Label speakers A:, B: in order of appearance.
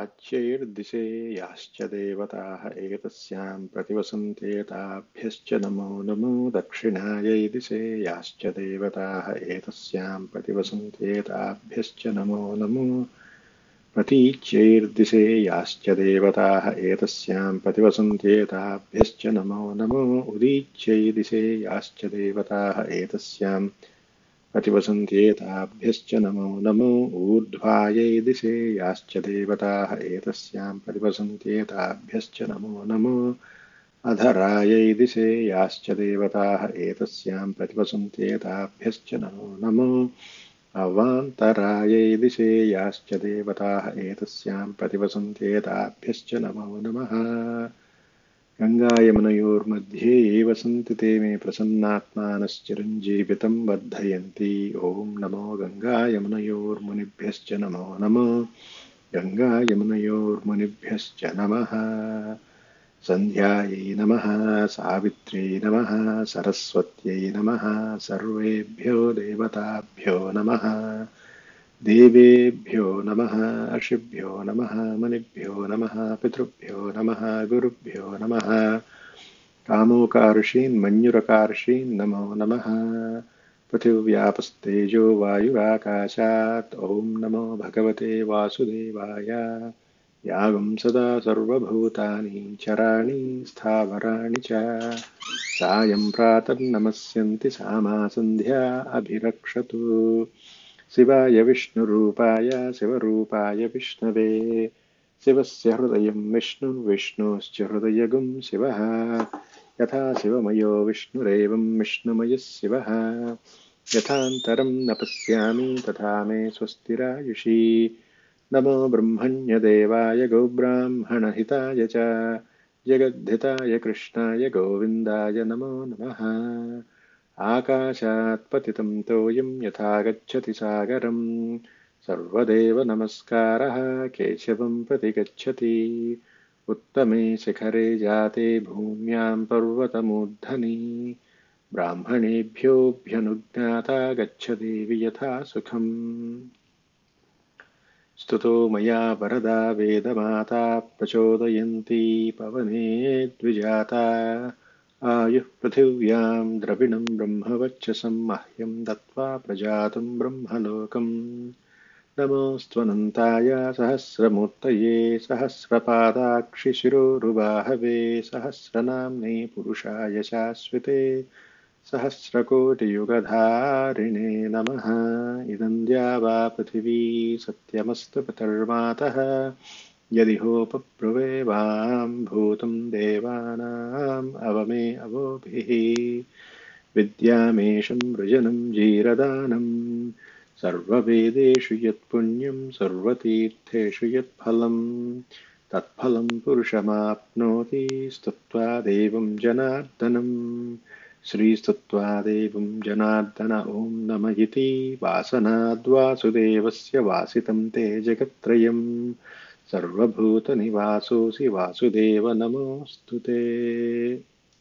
A: प्राच्यैर्दिशे याश्च देवताः एतस्यां प्रतिवसन्ते ताभ्यश्च नमो नमो दक्षिणायै दिशे याश्च देवताः एतस्यां प्रतिवसन्ते ताभ्यश्च नमो नमो प्रतीच्यैर्दिशे याश्च देवताः एतस्यां प्रतिवसन्ते ताभ्यश्च नमो नमो उदीच्यै दिशे याश्च देवताः एतस्यां प्रतिवसन्त्येताभ्यश्च नमो नमो ऊर्ध्वायै दिशे याश्च देवताः एतस्यां प्रतिवसन्त्येताभ्यश्च नमो नमो अधरायै दिशे याश्च देवताः एतस्यां प्रतिवसन्त्येताभ्यश्च नमो नमो अवान्तरायै दिशे याश्च देवताः एतस्यां प्रतिवसन्त्येताभ्यश्च नमो नमः गङ्गायमुनयोर्मध्ये ये वसन्ति ते मे प्रसन्नात्मानश्चिरञ्जीवितं वर्धयन्ति ॐ नमो गङ्गायमुनयोर्मुनिभ्यश्च नमो नमः गङ्गायमुनयोर्मुनिभ्यश्च नमः सन्ध्यायै नमः सावित्र्यै नमः सरस्वत्यै नमः सर्वेभ्यो देवताभ्यो नमः देवेभ्यो नमः ऋषिभ्यो नमः मुनिभ्यो नमः पितृभ्यो नमः गुरुभ्यो नमः कामोकार्षीन् मञ्जुरकार्षीन् नमो नमः पृथिव्यापस्तेजो वायुराकाशात् ॐ नमो भगवते वासुदेवाय यागं सदा सर्वभूतानि चराणि स्थावराणि च सायं प्रातर्नमस्यन्ति सामा सन्ध्या अभिरक्षतु शिवाय विष्णुरूपाय शिवरूपाय विष्णवे शिवस्य हृदयं विष्णुश्च हृदयगुं शिवः यथा शिवमयो विष्णुरेवं विष्णुमयः शिवः यथान्तरं न पश्यामि तथा मे स्वस्तिरायुषी नमो ब्रह्मण्यदेवाय गोब्राह्मणहिताय च जगद्धिताय कृष्णाय गोविन्दाय नमो नमः आकाशात् पतितं तोयं यथा गच्छति सागरं सर्वदेव नमस्कारः केशवं प्रति गच्छति उत्तमे शिखरे जाते भूम्यां पर्वतमूर्धनि ब्राह्मणेभ्योऽभ्यनुज्ञाता गच्छदेवि यथा सुखम् स्तुतो मया वरदा वेदमाता प्रचोदयन्ती पवने द्विजाता आयुः पृथिव्यां द्रविणं ब्रह्मवर्चसं मह्यं दत्त्वा प्रजातं ब्रह्मलोकम् नमोऽस्त्वनन्ताय सहस्रमूर्तये सहस्रपादाक्षिशिरोरुबाहवे सहस्रनाम्ने पुरुषाय शाश्वते सहस्रकोटियुगधारिणे नमः इदं द्यावा पृथिवी सत्यमस्तु पितर्मातः यदि होपब्रुवे वां भूतं देवानाम् अवमे अवोभिः विद्यामेशं वृजनं जीरदानं सर्ववेदेषु यत्पुण्यं सर्वतीर्थेषु यत्फलं तत्फलं पुरुषमाप्नोति स्तुत्वा देवं जनार्दनम् श्रीस्तुत्वा देवं जनार्दन ॐ नम इति वासनाद्वासुदेवस्य वासितं ते जगत्त्रयं सर्वभूतनिवासोऽसि वासुदेव नमोऽस्तु ते।